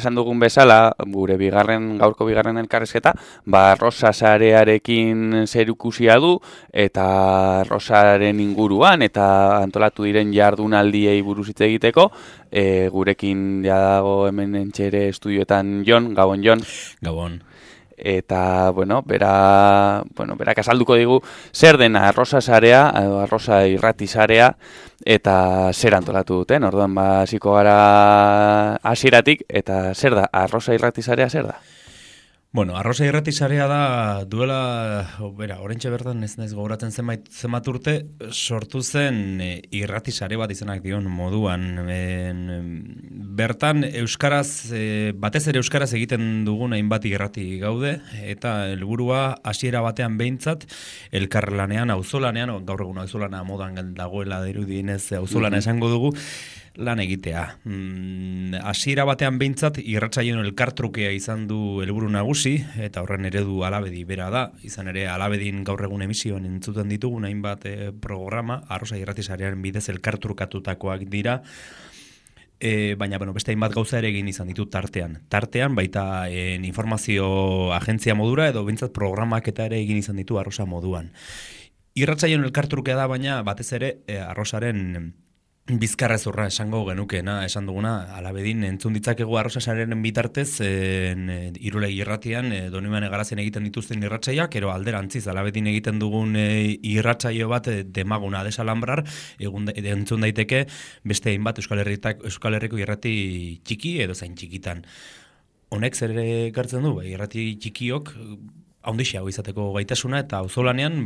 esan dugun bezala, gure gaurko bigarren elkarrizketa, arroza sarearekin zerikusia du, eta arrozaren inguruan, eta antolatu diren jardunaldiei buruz hitz egiteko, gurekin dago hemen entxere estudioetan Jon, Gabon Jon. Gabon. Eta, berak azalduko digu zer dena arroza sarea, arroza irrati sarea, eta zer antolatu duten. Orduan, hasiko gara hasieratik, eta zer da, arroza irrati sarea zer da? Bueno, arroza irrati sarea da oraintxe bertan ez naiz gogoratzen zenbat urte sortu zen irrati sare bat izenak dion moduan. Bertan euskaraz, batez ere euskaraz egiten dugun hainbat irrati gaude, eta helburua hasiera batean behintzat elkarlanean, auzolanean, gaur egun auzolana modan dagoela dirudienez auzolana esango dugu, lan egitea. Hasiera batean behintzat irratsaioen elkartrukea izan du helburu nagusi, eta horren eredu Alabedi bera da. Izan ere Alabedin gaur egun emisioan entzuten ditugun hainbat programa, arroza irrati sarearen bidez elkartrukatutakoak dira, baina beste hainbat gauza ere egin izan ditut tartean. Tartean baita informazio agentzia modura edo behintzat programak eta ere egin izan ditu arroza moduan. Irratsaioen elkartrukea da, baina batez ere arrozaren bizkarrezurra esango genukeena, esan duguna, Alabedin entzun ditzakegu arroza sarearen bitartez, Irulegi irratian, Donibane Garazen egiten dituzten irratsaiak, ero alderantziz, Alabedin egiten dugun irratsaio bat demaguna desalambrar, entzun daiteke beste hainbat Euskal Herriko irrati txiki edo zain txikitan. Honek zer ekartzen du, irrati txikiok, haundixeago izateko gaitasuna, eta auzolanean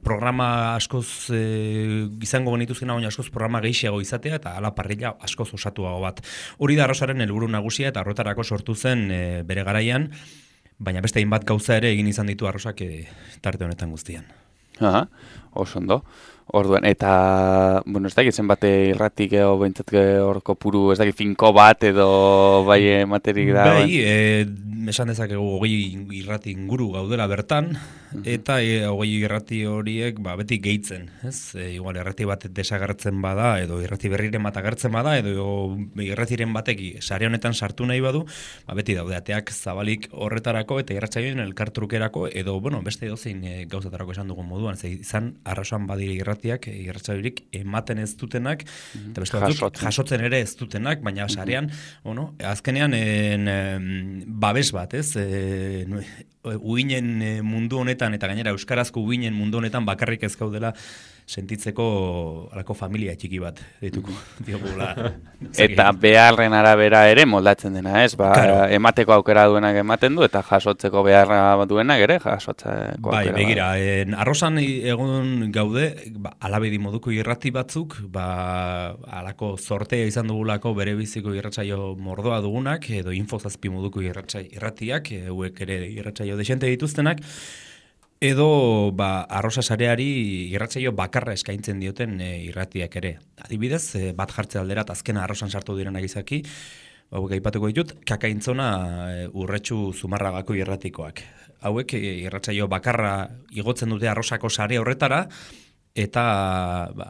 programa askoz izango genituzkena, baina askoz programa gehiago izatea, eta ala parrilla askoz osatuago bat. Hori da arrozaren helburu nagusia, eta horretarako sortu zen bere garaian, baina beste hainbat gauza ere egin izan ditu arrozak tarte honetan guztian. Aha, oso ondo. Orduan, eta, ez dakit zenbate irratik edo behintzat hor kopuru, ez dakit finko bat edo bai materik da. Esan dezakegu 20 irrati inguru gaudela bertan, eta 20 irrati horiek beti gehitzen, ez? Igual irrati bat desagertzen bada, edo irrati berriren bat agertzen bada, edo irratiren batek sare honetan sartu nahi badu, beti daude ateak zabalik horretarako eta irratsaioen elkartrukerako, edo, beste edozein gauzatarako esan dugun moduan, izan arrasoan badire irratsaiorik ematen ez dutenak, eta beste batzuk jasotzen ere ez dutenak, baina sarean, azkenean babes bat, ez? Uinen mundu honetan, eta gainera euskarazko uinen mundu honetan bakarrik ez gaudela sentitzeko alako familia txiki bat dituko diogula. Eta beharren arabera ere moldatzen dena, ez? Emateko aukera duenak ematen du, eta jasotzeko beharra duenak ere jasotzeko aukera. Begira, arrozan egun gaude, Alabedi moduko irrati batzuk, alako sortea izan dugulako bere biziko irratsaio mordoa dugunak, edo infozazpi moduko irratiak, hauek ere irratsaio desente dituztenak, edo arroza sareari irratsaio bakarra eskaintzen dioten irratiak ere. Adibidez, bat jartze alderat azkena arrozan sartu direnak izaki, hauek aipatuko ditut, Kakaintzona Urretxu Zumarragako irratikoak. Hauek irratsaio bakarra igotzen dute arrozako sare horretara, eta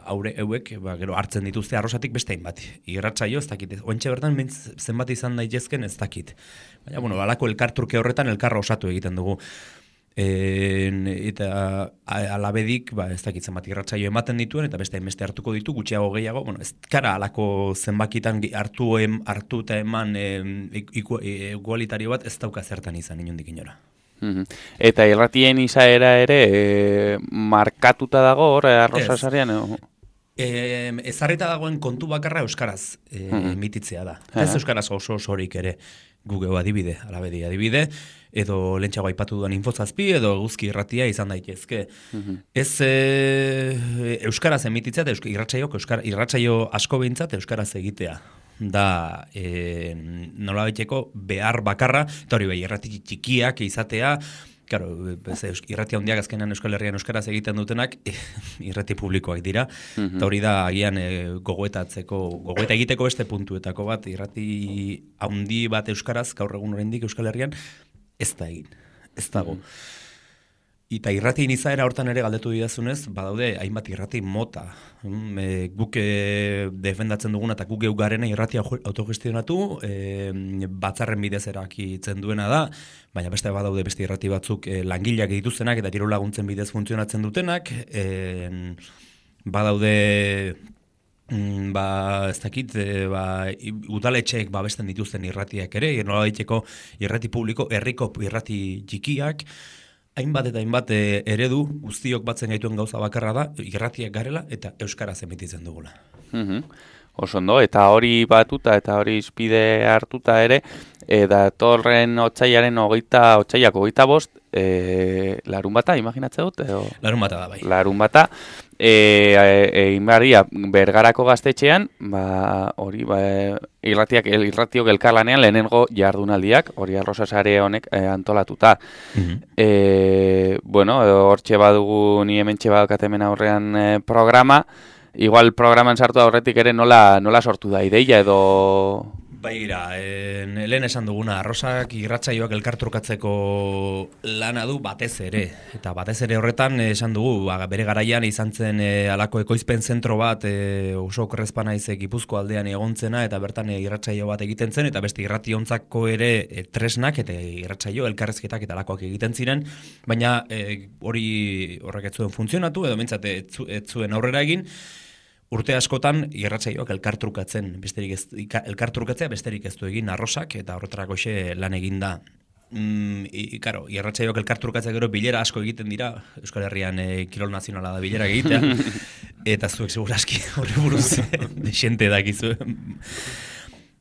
hauek gero hartzen dituzte arrozatik beste hainbat. Irratsaio ez dakit, ointxe bertan zenbat izan daitezken ez dakit. Baina, alako elkartruke horretan elkarra osatu egiten dugu. Eta Alabedik, ez dakitzen bat irratsaio ematen dituen, eta beste hartuko ditu, gutxiago gehiago, ez kara alako zenbakitan hartu eta eman igualitario bat ez dauka zertan izan inondik inora. Eta irratien izaera ere markatuta dago hor arroza sarean? Ezarrita dagoen kontu bakarra euskaraz emititzea da. Ez euskaraz osorik ere. Google adibide, Alabedi adibide, edo lentsago aipatu duan infozazpi, edo eguzki irratia izan daitezke. Ez euskaraz emititzea, irratsaio asko behintzat euskaraz egitea. Da nolabaiteko behar bakarra, eta hori irrati txikiak izatea, claro, irrati handiak azkenan Euskal Herrian euskaraz egiten dutenak irrati publikoak dira, eta hori da agian gogoeta egiteko beste puntuetako bat, irrati handi bat euskaraz gaur egun oraindik Euskal Herrian ez da egin, ez dago. Eta irratien izaera hortan ere galdetu didazunez, badaude hainbat irrati mota. Guk defendatzen duguna eta guk geugarena irratia autogestionatu, batzarren bidez erakitzen duena da, baina beste badaude beste irrati batzuk langileak dituztenak eta diru laguntzen bidez funtzionatzen dutenak, badaude ez dakit, udaletxeek babesten dituzten irratiak ere, nola daiteko irrati publiko, herriko irrati txikiak, hainbat eta hainbat eredu guztiok batzen gaituen gauza bakarra da, irratiak garela eta euskaraz emititzen dugula. Oso ondo, eta hori batuta eta hori izpide hartuta ere, datorren otsailaren otsailako 25, larun bata, imaginatzen dut? Larun bata da, bai. Larun bata, inbarria Bergarako gaztetxean, irratiok elkarlanean lehenengo jardunaldiak, hori Arrosa sare honek antolatuta. Hortxe badugu ni hementxe badaukatemen aurrean programa, igual programan sartu aurretik ere nola sortu da ideia edo... Baira, lehen esan duguna, Arrosak irratsaioak elkartrukatzeko lana du batez ere. Eta batez ere horretan esan dugu, bere garaian izan zen alako ekoizpen zentro bat oso okerrezpa naiz Gipuzko aldean egontzena eta bertan irratsaio bat egiten zen eta beste irrationtzako ere tresnak eta irratsaio elkarrezketak eta alakoak egiten ziren, baina horrek ez zuen funtzionatu edo mentzat ez zuen aurrera egin. Urte askotan irratsaioak elkartrukatzea besterik ez du egin Arrosak eta horretarako lan egin da. Irratsaioak elkartrukatzea gero bilera asko egiten dira, Euskal Herrian kirol nazionala da bilera egitea, eta zuek segurazki horri buruz desente dakizu.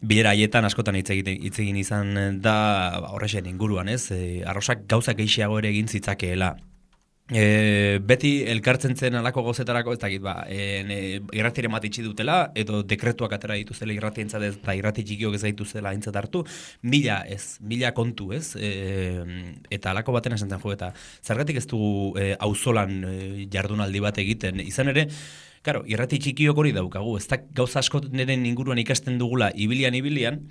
Bilera haietan askotan hitz egin izan da horrexen inguruan, ez? Arrosak gauzak gehiago ere egin zitzakeela. Beti elkartzen zen alako gauzetarako, ez dakit, irratiren bat itxi dutela, edo dekretuak atera dituzela irratientzat ez, eta irrati txikiok ez dituzela aintzat hartu, mila kontu, ez? Eta alako baten esan zen jo, eta zergatik ez dugu auzolan jardunaldi bat egiten, izan ere, claro, irrati txikiok hori daukagu, ez da gauza asko neren inguruan ikasten dugula ibilian,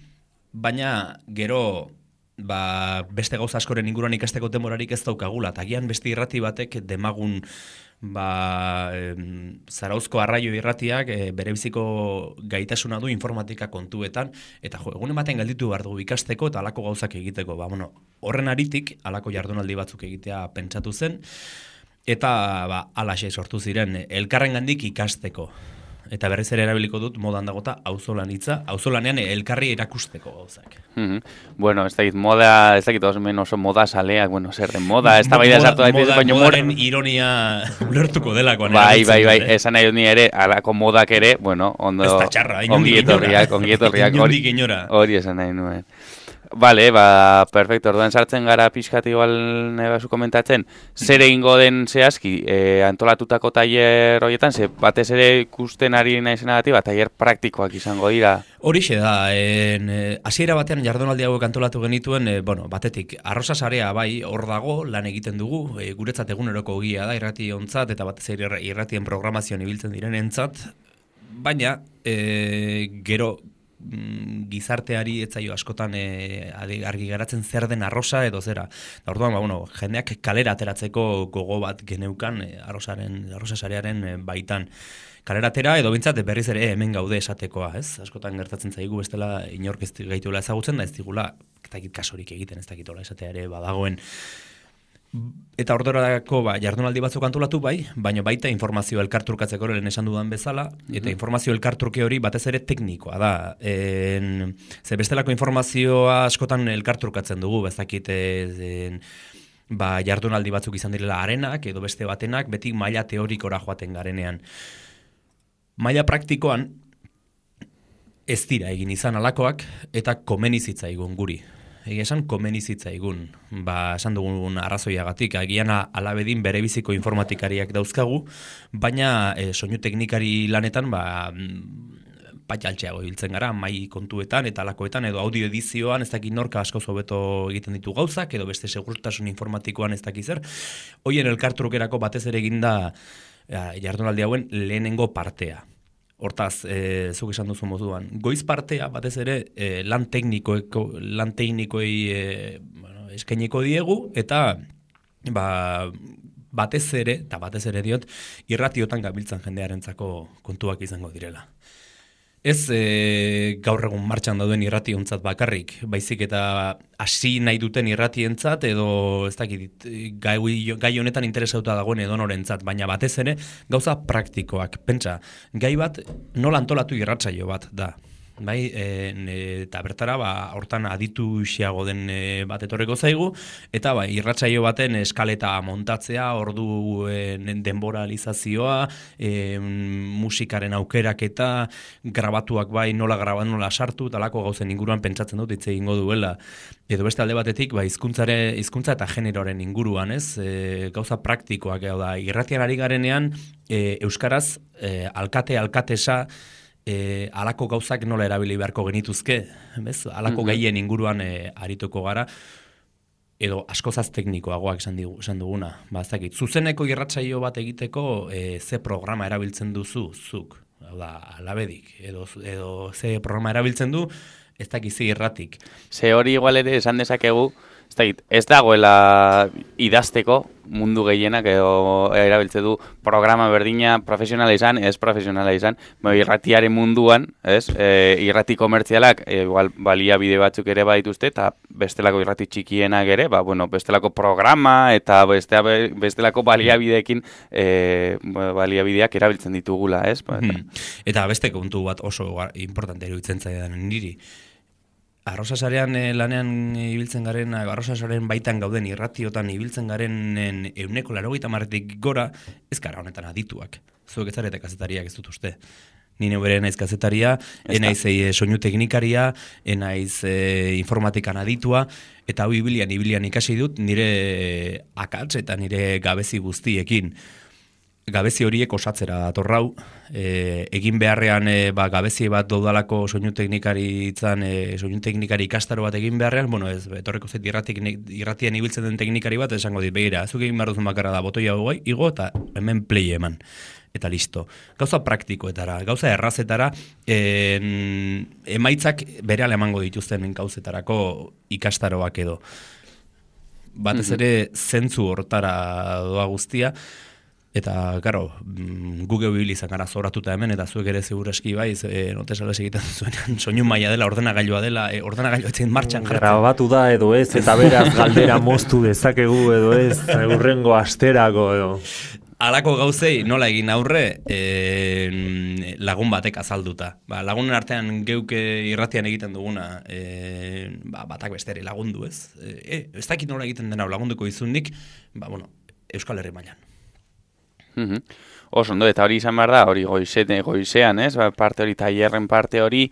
baina gero beste gauza askoren inguruan ikasteko denborarik ez daukagula, eta gian beste irrati batek demagun Zarauzko arraio irratiak berebiziko gaitasuna du informatika kontuetan, eta egun ematen galditu behar dugu ikasteko eta alako gauzak egiteko. Horren aritik, alako jardunaldi batzuk egitea pentsatu zen, eta alaxe sortu ziren elkarrengandik ikasteko. Eta berriz ere erabiliko dut modan dagota auzolan hitza, auzolanean elkarri erakusteko gauzak. Ez dakit oso moda saleak, zer den moda, ez da baida sartu daitez, baina modaren ironia ulertuko delakoan. Bai, esan nahi dut ni ere, alako modak ere, ondo, ez da txarra, ongi etorriak, hori esan nahi nuen. Perfecto, orduan sartzen gara pixkat igual nebazu komentatzen, zer egingo den zehazki antolatutako tailer horietan, batez ere ikusten ari naizenagatik, tailer praktikoak izango dira. Horixe da, hasiera batean jardunaldi hauek antolatu genituen, batetik, Arrosa sarea bai hor dago, lan egiten dugu, guretzat eguneroko ogia da, irrationtzat eta batez ere irratien programazioan ibiltzen direnentzat, baina gero gizarteari etzaio askotan argi garatzen zer den Arrosa edo zera. Da orduan, jendeak kalera ateratzeko gogo bat geneukan Arrosa sarearen baitan. Kalera atera edo bintzat berriz ere hemen gaude esatekoa, ez? Askotan gertatzen zaigu bestela inork ez gaituela ezagutzen da ez digula kasorik egiten ez dakitola esatea ere badagoen. Eta ordorako jardunaldi batzuk antolatu baina baita informazio elkartrukatzeko lehen esan dudan bezala, eta informazio elkartruke hori batez ere teknikoa da. Ze bestelako informazioa askotan elkartrukatzen dugu, bezakit jardunaldi batzuk izan direla arenak edo beste batenak, beti maila teorikora joaten garenean. Maila praktikoan ez dira egin izan alakoak eta komenizitzaigun guri. Esan komenizitzaigun, esan dugun arrazoiagatik, agian alabedin berebiziko informatikariak dauzkagu, baina soinu teknikari lanetan patxaltxeago hiltzen gara, mai kontuetan eta alakoetan, edo audio edizioan ez dakit norka asko hobeto egiten ditu gauzak, edo beste segurtasun informatikoan ez dakit zer. Hoien elkartrukerako batez ere eginda jardunaldi hauen lehenengo partea. Hortaz, zuk esan duzu moduan, goiz partea batez ere lan teknikoei eskainiko diegu eta batez ere diot, irratiotan gabiltzan jendearentzako kontuak izango direla. Ez gaur egun martxan dauden irrationtzat bakarrik, baizik eta hasi nahi duten irratientzat edo ez dakit gai honetan interesauta dagoen edonorentzat, baina batez ere gauza praktikoak. Pentsa, gai bat nola antolatu irratsaio bat da. Bai, eta bertara hortan aditu xiago den bat etorreko zaigu, eta irratsaio baten eskaleta montatzea, orduen denboralizazioa, musikaren aukeraketa, grabatuak nola grabatu, nola sartu, talako gauzen inguruan pentsatzen dut hitz egingo duela. Edo beste alde batetik, hizkuntza eta generoaren inguruan, ez? Gauza praktikoak, da, irratian ari garenean, euskaraz, alkatesa, alako gauzak nola erabili beharko genituzke, bez? Alako gaien inguruan arituko gara, edo askozaz teknikoagoak esan duguna. Ez dakit, zuzeneko irratsaio bat egiteko ze programa erabiltzen duzu, zuk, alabedik, edo ze programa erabiltzen du, ez dakit ze irratik. Ze hori igual ere esan dezakegu, ez dagoela idazteko mundu gehienak edo erabiltze du programa berdina profesionala izan, ez profesionala izan, irratiaren munduan, ez? Irrati komertzialak igual baliabide batzuk ere badituzte eta bestelako irrati txikienak ere, bestelako programa eta bestelako baliabideekin baliabideak erabiltzen ditugula, ez? Eta beste kontu bat oso importante iruditzen zaidan niri. Arrosasarean lanean ibiltzen garen, arrosasarean baitan gauden irratiotan ibiltzen garen 80%tik gora, ez gara honetan adituak. Zuek ez zarete kazetariak ez dut uste. Ni neubere naiz kazetaria, enaiz soinu teknikaria, enaiz informatikan aditua, eta hau ibilian ikasi dut nire akats eta nire gabezi guztiekin. Gabezi horiek osatzera datorrau, egin beharrean gabezi bat daudalako soinu teknikari ikastaro bat egin beharrean, ez etorreko zait irratian ibiltzen den teknikari bat, esango dit, begira, zuk egin behar duzun bakarra da, botoia igo eta hemen play eman. Eta listo. Gauza praktikoetara, gauza errazetara, emaitzak berehala emango dituzten gauzetarako ikastaroak edo. Batez ere zentzu hortara doa guztia, eta, karo, Google izan gara zoratuta hemen, eta zuek ere seguraski notesales egiten zuenean, soinu maila dela, ordenagailua dela, ordenagailua etzen martxan jartzen. Grabatu da edo ez, eta beraz galdera moztu dezakegu edo ez, urrengo asterako edo. Alako gauzei nola egin aurre lagun batek azalduta. Lagunen artean geuke irratian egiten duguna, batak besteri lagundu ez. Ez dakit nola egiten dena lagunduko izundik, Euskal Herri mailan. Oso ondo, eta hori izan behar da, hori goizean, ez? Parte hori, tailerren parte hori,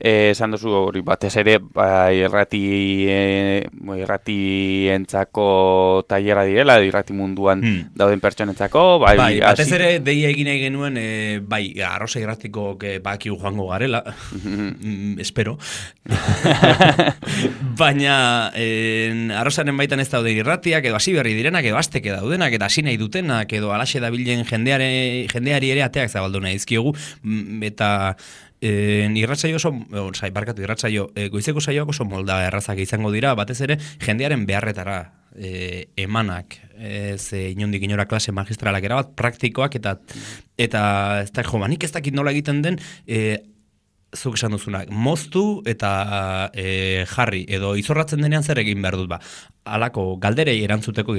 esan duzu hori batez ere, irratientzako tailerra direla, irrati munduan dauden pertsonentzako, batez ere, deia egin nahi genuen, arrosa irratiko bakigu joango garela, espero, baina arrosaren baitan ez daude irratiak, edo hasi berri direnak, edo azteke daudenak, eta hasi nahi dutenak, edo alaxe dabilen jendeari ere ateak zabaldu nahi dizkiogu, eta goizeko saioak oso molda errazak izango dira, batez ere jendearen beharretara emanak, inondik inora klase magistralak erabat, praktikoak, eta ez da, nik ez dakit nola egiten den, zuk esan duzunak, moztu eta jarri, edo izorratzen denean zer egin behar dut, alako galderei erantzuteko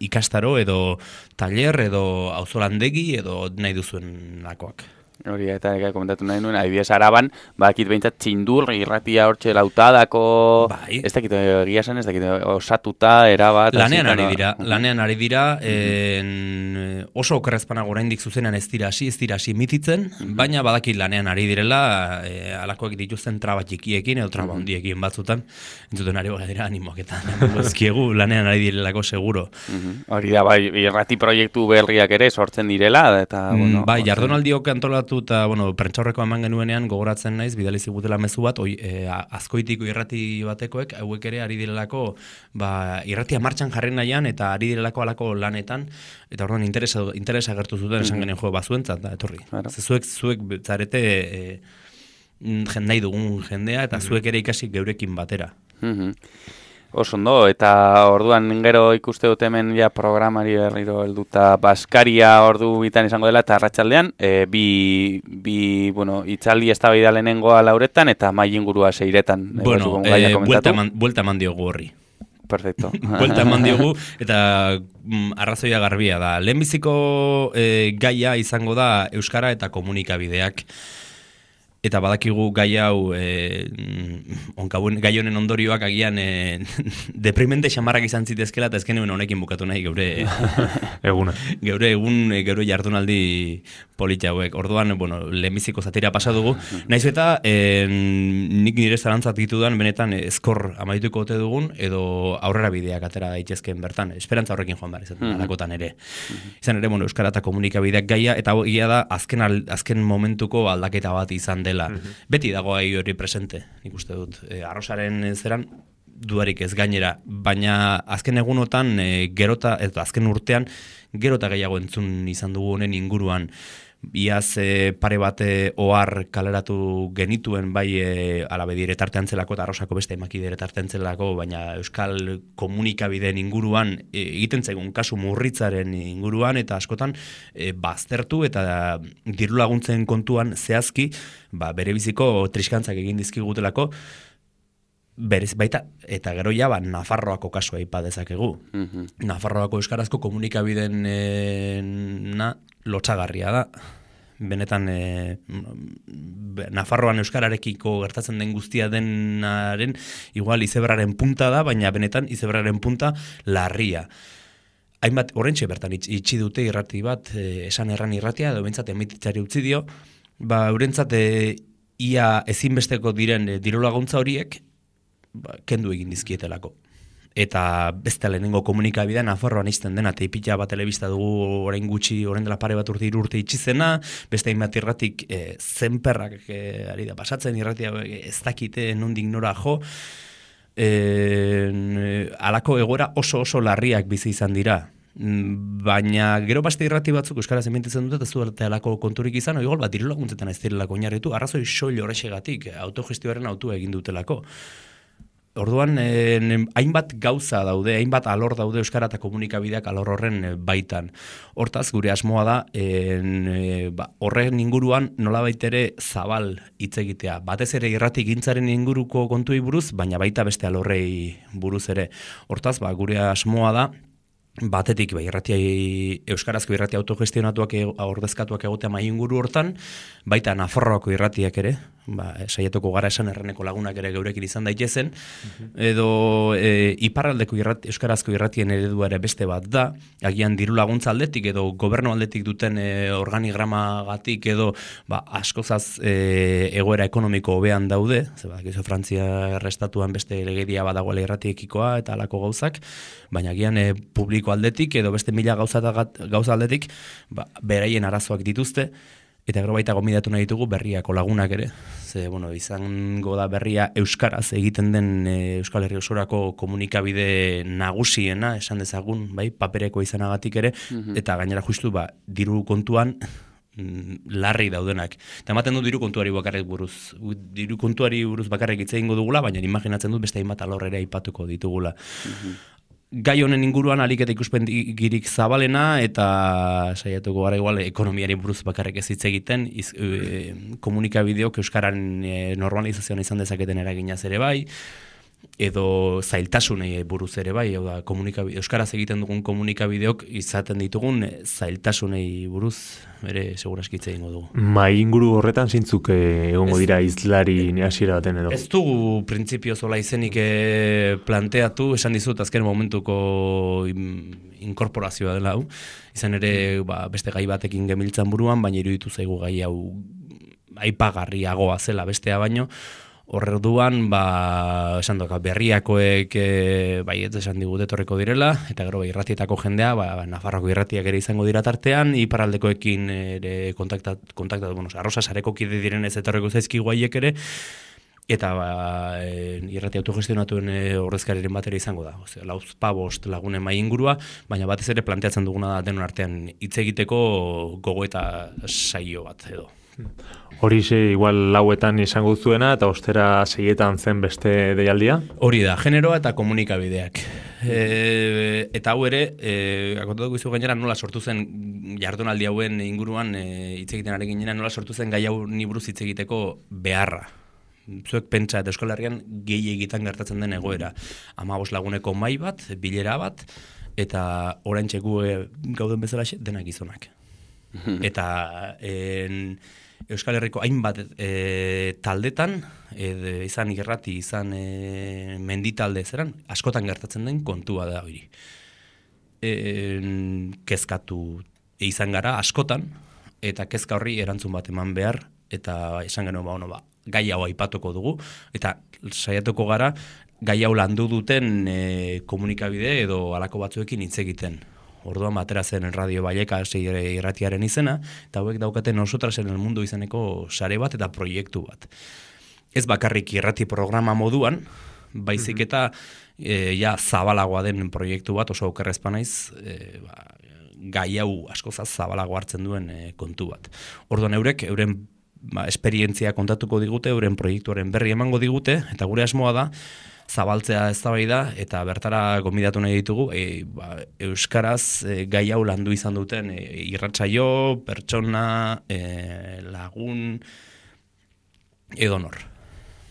ikastaro, edo taller, edo auzolandegi, edo nahi duzuen lakoak. Hori, eta komentatu nahi nuen, adibidez Araban, bakit behintzat txindur, irratia hortxe lautadako, ez dakit, egia zen, ez dakit, osatuta, erabat... Lanean ari dira, oso okerrezpana oraindik zuzenan ez dira hasi mititzen, baina badakit lanean ari direla, alakoak dituzten traba txikiekin, edo traba hondiekin batzutan, entzuten ari dira animoak eta ezkiegu, lanean ari direlako seguro. Hori da, irrati proiektu berriak ere sortzen direla, eta... jardunaldiok antolatu eta, prentxaurreko eman genuenean gogoratzen naiz, bidali zigutela mezu bat, azkoitiko irrati batekoek, hauek ere ari direlako, irratia martxan jarri nahian, eta ari direlako alako lanetan, eta orduan interesa gertu zuten esan genuen bazuentzat, da, etorri. Zuek zarete nahi dugun jendea, eta zuek ere ikasi geurekin batera. Oso ondo, eta orduan gero ikuste dut hemen ja programari berriro helduta Baskaria ordu bitan izango dela eta arratsaldean bi hitzaldi eztabaida lehenengoa 4:00 eta mahai ingurua 6:00. Bueno, buelta eman diogu horri. Perfecto. Buelta eman diogu eta arrazoia garbia da. Lehenbiziko gaia izango da euskara eta komunikabideak. Eta badakigu gai hau, gai honen ondorioak agian deprimente xamarrak izan zitezkela, eta ezken honekin bukatu nahi geure eguna. Geure jardunaldi polita hauek. Orduan, lehenbiziko zatira pasa dugu. Naiz eta nik nire zalantzat ditudan benetan ezkor amaituko ote dugun, edo aurrera bideak atera daitezken bertan. Esperantza horrekin joan behar izaten alakotan ere. Izan ere, euskara eta komunikabideak gaia, eta egia da azken momentuko aldaketa bat izan dela. Beti dago hori presente, nik uste dut. Arrosaren zeran dudarik ez gainera, baina azken egunotan azken urtean gerota gehiago entzun izan dugu honen inguruan. Iaz pare bat ohar kaleratu genituen bai alabe diretartean zelako eta Arrosako beste emaki diretartean zelako, baina euskal komunikabideen inguruan egiten zaigun kasu murritzaren inguruan eta askotan baztertu eta diru laguntzen kontuan zehazki bere biziko triskantzak egin dizkigutelako berez baita, eta gero ja Nafarroako kasua aipa dezakegu. Nafarroako euskarazko komunikabideen lotsagarria da. Benetan Nafarroan euskararekiko gertatzen den guztia denaren igual izeberraren punta da, baina benetan izeberraren punta larria. Hainbat horrentxe bertan itxi dute irrati bat, esan erran irratia, edo bentsat emititzari utzi dio, eurentzat ia ezinbesteko diren diru laguntza horiek kendu egin dizkietelako. Eta beste lehenengo komunikabidea Nafarroan izten dena, teipitza bat telebista dugu orain gutxi, orain dela pare bat urte itxizena, beste hainbat irratik zenperrak ari da pasatzen, irratia ez dakite nondik nora jo, alako egoera oso larriak bizi izan dira. Baina gero beste irrati batzuk euskaraz emititzen dute, ez du alako konturik izan, igual bat diru laguntzetan ez direlako oinarritu, arrazoi soil horrexegatik, autogestioaren autua egin dutelako. Orduan, hainbat gauza daude, hainbat alor daude euskara eta komunikabideak alor horren baitan. Hortaz, gure asmoa da, horren inguruan nolabait ere zabal hitz egitea. Batez ere irrati gintzaren inguruko kontuei buruz, baina baita beste alorrei buruz ere. Hortaz, gure asmoa da, batetik euskarazko irrati autogestionatuak ordezkatuak egotea mai inguru hortan, baita Nafarroako irratiak ere, saiatuko gara esan erreneko lagunak ere geurekin izan daitezen, edo iparraldeko euskarazko irratien eredua ere beste bat da, agian diru laguntza aldetik edo gobernu aldetik duten organigramagatik edo askozaz egoera ekonomiko hobean daude, Frantzia errestatuan beste legedia badagoela irratiekikoa eta alako gauzak, baina agian publiko aldetik edo beste mila gauza aldetik beraien arazoak dituzte, eta gero baita gomidatu nahi ditugu berriako lagunak ere. Izango da berria euskaraz egiten den Euskal Herri osorako komunikabide nagusiena, esan dezagun, papereko izanagatik ere, eta gainera justu diru kontuan larri daudenak. Eta ematen du diru kontuari buruz bakarrik hitz egingo dugula, baina imaginatzen dut beste hainbat alor ere aipatuko ditugula. Gai honen inguruan alik eta ikuspegirik zabalena eta saiatuko gara igual ekonomiari buruz bakarrik ez hitz egiten, komunikabideok euskararen normalizazioan izan dezaketen eraginaz ere bai, edo zailtasunei buruz ere bai, euskaraz egiten dugun komunikabideok izaten ditugun zailtasunei buruz ere seguraski hitz egingo dugu. Mai inguru horretan zintzuk egongo dira izlari hasiera baten edo? Ez dugu printzipio zola izenik planteatu, esan dizut azken momentuko inkorporazioa dela hau, izan ere beste gai batekin gemiltzan buruan, baina iruditu zaigu gai hau aipagarriagoa zela bestea baino. Orduan, esan doka, berriakoek ez esan digute etorriko direla, eta gero irratietako jendea, Nafarroko irratiak ere izango dira tartean, iparraldekoekin ere kontaktatu, Arrosa sareko kide direnez etorriko zaizkigu haiek ere, eta irrati autogestionatuen ordezkariren batera izango da. Lauzpabost lagunen mai ingurua, baina batez ere planteatzen duguna da denon artean hitz egiteko gogo eta saio bat edo. Horixe igual lauetan izango zuena eta ostera 6etan zen beste deialdia? Hori da, generoa eta komunikabideak. Eta hau ere, akontatuko izu gainera nola sortu zen jardunaldi hauen inguruan hitz egiten ari ginena, nola sortu zen gai hau ni buruz hitz egiteko beharra. Zuek pentsa eta Euskal Herrian gehi egitan gertatzen den egoera. 15 laguneko mahai bat, bilera bat, eta oraintxe gu gauden bezala denak gizonak. Eta Euskal Herriko hainbat taldetan, izan irrati, izan menditalde zeran, askotan gertatzen den kontua da hori. Kezkatu izan gara askotan, eta kezka horri erantzun bat eman behar, eta esan genuen gai hau aipatuko dugu, eta saiatuko gara gai hau landu duten komunikabide edo halako batzuekin hitz egiten. Orduan batera zen Radio Vallecas irratiaren izena, eta hauek daukaten Nosotras en el Mundo izeneko sare bat eta proiektu bat. Ez bakarrik irrati programa moduan, baizik eta zabalagoa den proiektu bat, oso okerrezpa naiz, gai hau askozaz zabalago hartzen duen kontu bat. Orduan euren esperientzia kontatuko digute, euren proiektuaren berri emango digute, eta gure asmoa da, zabaltzea eztabaida eta bertara gonbidatu nahi ditugu euskaraz gai hau landu izan duten irratsaio, pertsona, lagun edonor.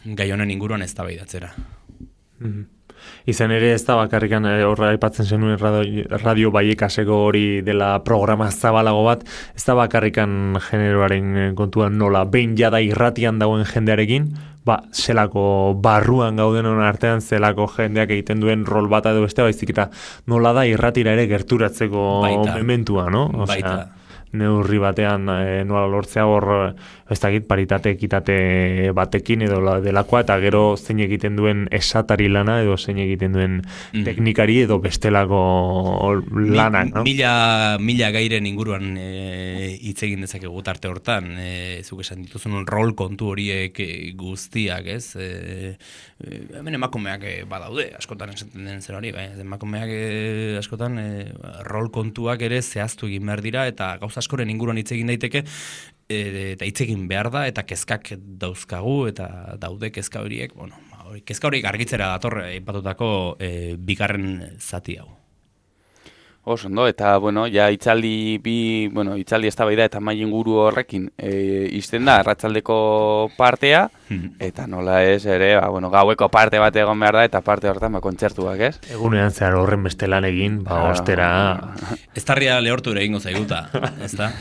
Gai honen inguruan eztabaidatzera. Izan ere ez da bakarrikan horra aipatzen zenuen Radio Vallecaseko hori dela programa zabalago bat, ez da bakarrikan generoaren kontuan nola behin jada irratian dagoen jendearekin, zelako barruan gauden artean zelako jendeak egiten duen rol bat edo beste baizik eta nola da irratira ere gerturatzeko mementua, no? Baita. Neurri batean nola lortzea hor ez dakit paritate ekitate batekin edo delakoa eta gero zein egiten duen esatari lana edo zein egiten duen teknikari edo bestelako lanak, no? Mila gairen inguruan hitz egin dezakegu tarte hortan, zuk esan dituzun rol kontu horiek guztiak, ez? Hemen emakumeak badaude, askotan esaten den zer hori, emakumeak askotan rol kontuak ere zehaztu egin behar dira eta gauza askoren inguruan hitz egin daiteke eta hitz egin behar da eta kezkak dauzkagu eta daude kezka horiek, kezka horiek argitzera dator aipatutako bigarren zati hau. Ondo, eta, itzaldi eztabaida eta mai inguru horrekin izten da, arratsaldeko partea, eta nola ez ere, gaueko parte bat egon behar da, eta parte horretan, kontzertuak, ez? Egunean zehar horren beste lan egin, ostera... Estarria lehortu ere egingo zaiguta, ez da?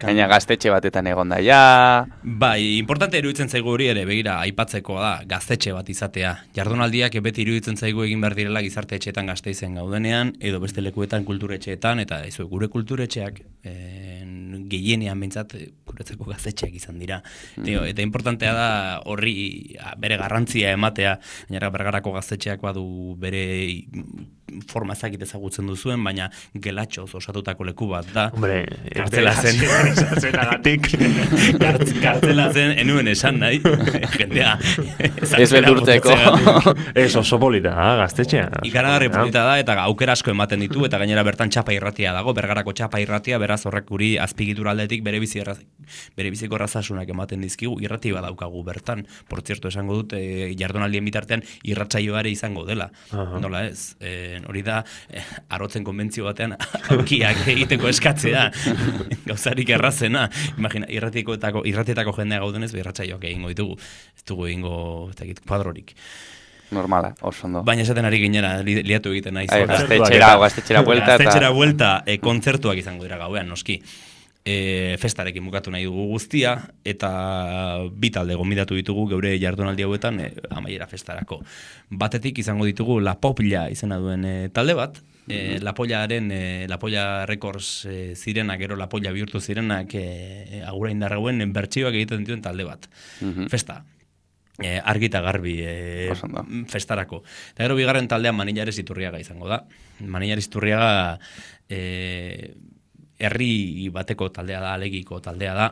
Gaina gaztetxe batetan egon da, ja... Bai, importante iruditzen zaigu hori ere, begira, aipatzeko da, gaztetxe bat izatea. Jardunaldiak beti iruditzen zaigu egin behar direla gizarte etxeetan Gasteizen gaudenean, edo beste lekuetan kulturetxeetan, eta gure kulturetxeak gehienean behintzat guretzako gaztetxeak izan dira. Eta importantea da horri bere garrantzia ematea, gainera Bergarako gaztetxeak badu bere forma ezakit ezagutzen duzuen, baina gelatxoz osatutako leku bat da. Hombre, kartzela zen. Kartzela zen, enuen esan nahi. Jendea. Ez beldurtzeko. Ez oso polita, gaztetxea. Ikaragarri polita da, eta aukera asko ematen ditu, eta gainera bertan txapa irratia dago, Bergarako txapa irratia, beraz horrek guri azpigitura aldetik bere biziko errazasunak ematen dizkigu, irrati badaukagu bertan. Por cierto, esango dut, jardunaldien bitartean irratsaioare izango dela. Nola ez? Hori da, arotzen konbentzio batean aukiak egiteko eskatzea, gauzarik errazena. Imagina, irratietako jendea gaudenez, irratsaioak egingo ditugu. Ez dugu egingo, kuadrorik. Normala, oso ondo. Baina esaten ari ginera, liatu egiten nahi. Gaztetxera buelta. Gaztetxera buelta, kontzertuak izango dira gauean, noski. Festarekin bukatu nahi dugu guztia, eta bi talde gonbidatu ditugu geure jardunaldi hauetan amaiera festarako. Batetik izango ditugu La Popla izena duen talde bat, La Polla Records zirenak, gero La Polla bihurtu zirenak agura indarrauen bertsioak egiten dituen talde bat. Festa. Argi eta garbi festarako. Eta gero bigarren taldean Manillares Iturriaga izango da. Manillares Iturriaga herri bateko taldea da, Alegiko taldea da.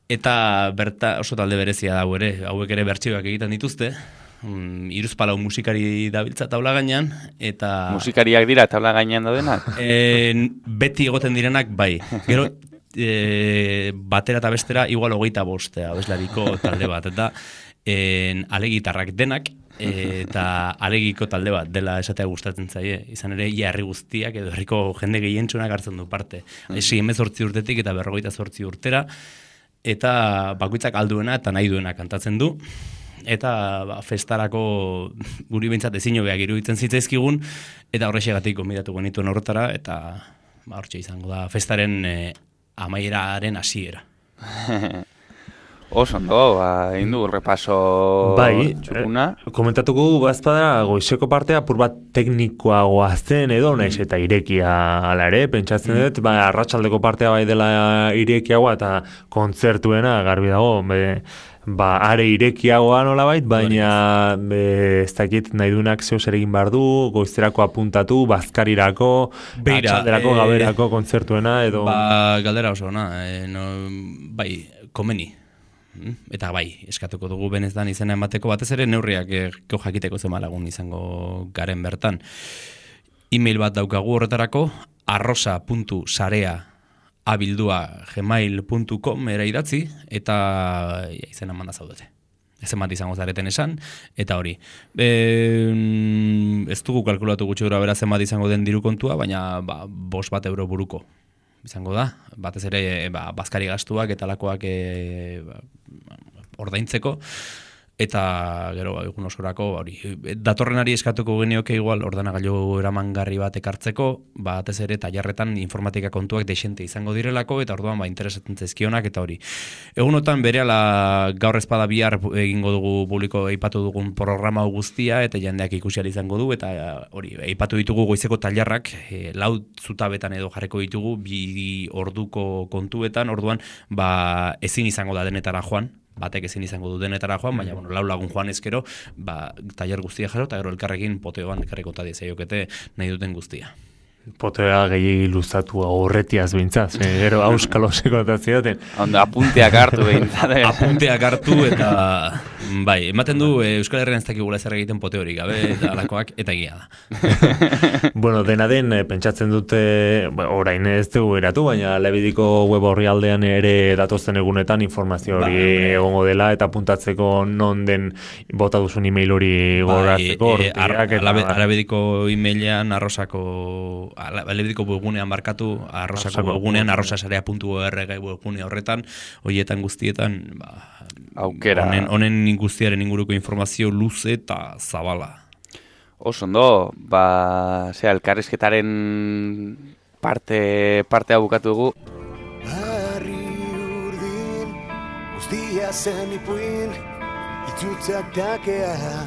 Eta oso talde berezia da ere, hauek ere bertsioak egiten dituzte. Hiruzpalau musikari dabiltza taula gainean, eta... Musikariak dira taula gainean daudenak? Beti egoten direnak, bai. Gero, batera eta bestera igual 25 abeslariko talde bat, eta alegitarrak denak, eta alegiko talde bat dela esatea gustatzen zaie. Izan ere, herri guztiak edo herriko jende gehientsunak hartzen du parte. 18 urtetik eta 58 urtera, eta bakoitzak alduena eta nahi duena kantatzen du. Eta festarako guri behintzat ezin hobeak iruditzen zitzaizkigun, eta horrexegatik gonbidatu genituen horretara, eta hortxe izango da festaren amaieraren hasiera. Oso ondo, egin du repaso txukuna. Komentatuko bazpada goizeko partea apur bat teknikoagoa zen edo, naiz eta irekia ala ere, pentsatzen dut, arratsaldeko partea bai dela irekiagoa eta kontzertuena garbi dago, are irekiagoa nolabait, baina ez dakit nahi duenak zeo zer egin behar du, goizterako apuntatu, bazkarirako, atxalderako, gaberako kontzertuena edo... Galdera oso, bai, komeni. Eta bai, eskatuko dugu benetan izena emateko, batez ere neurriak jakiteko zema lagun izango garen bertan. E-mail bat daukagu horretarako, arrosa.sarea@gmail.com era idatzi, eta izena manda zaudete. Ez bat izango zareten esan, eta hori. Ez dugu kalkulatu gutxi gura bera zenbat izango den diru kontua, baina 5 euro buruko izango da, batez ere bazkari gastuak eta lakoak ordaintzeko, eta gero egun osorako datorrenari eskatuko genioke igual ordenagailu eramangarri bat ekartzeko, batez ere tailerretan informatika kontuak dexente izango direlako, eta orduan interesatzen zaizkionak eta hori. Egunotan berehala gaur ezpada bihar egingo dugu publiko aipatu dugun programa guztia, eta jendeak ikusi ahal izango du, eta hori aipatu ditugu goizeko tailerrak 4 zutabetan edo jarriko ditugu 2 orduko kontuetan, orduan ezin izango da denetara joan, batek ezin izango du denetara joan, baina 4 lagun joan ezkero, tailer guztia jaro, eta gero elkarrekin poteoan ekarriko ta diezaiokete nahi duten guztia. Potea gehiagi luzatu horretiaz bintzaz, gero auskaloseko eta zioten. Apunteak hartu behintzat. Apunteak hartu eta bai, ematen du Euskal Herrian ez dakigula zer egiten pote hori gabe eta alakoak, eta egia da. Bueno, dena den, pentsatzen dute, orain ez dugu eratu, baina Lebidiko web orrialdean ere datozen egunetan informazio hori egongo dela, eta apuntatzeko non den bota duzun email hori goratzeko. Lebidiko emailean Lebidiko webgunean markatu, arrosako webgunean, arrosasarea.org webgune horretan, horietan guztietan, aukera. Honen guztiaren inguruko informazio luze eta zabala. Oso ondo, elkarrizketaren partea bukatu dugu. Harri urdin, guztia zen ipuin, itzutzak takea.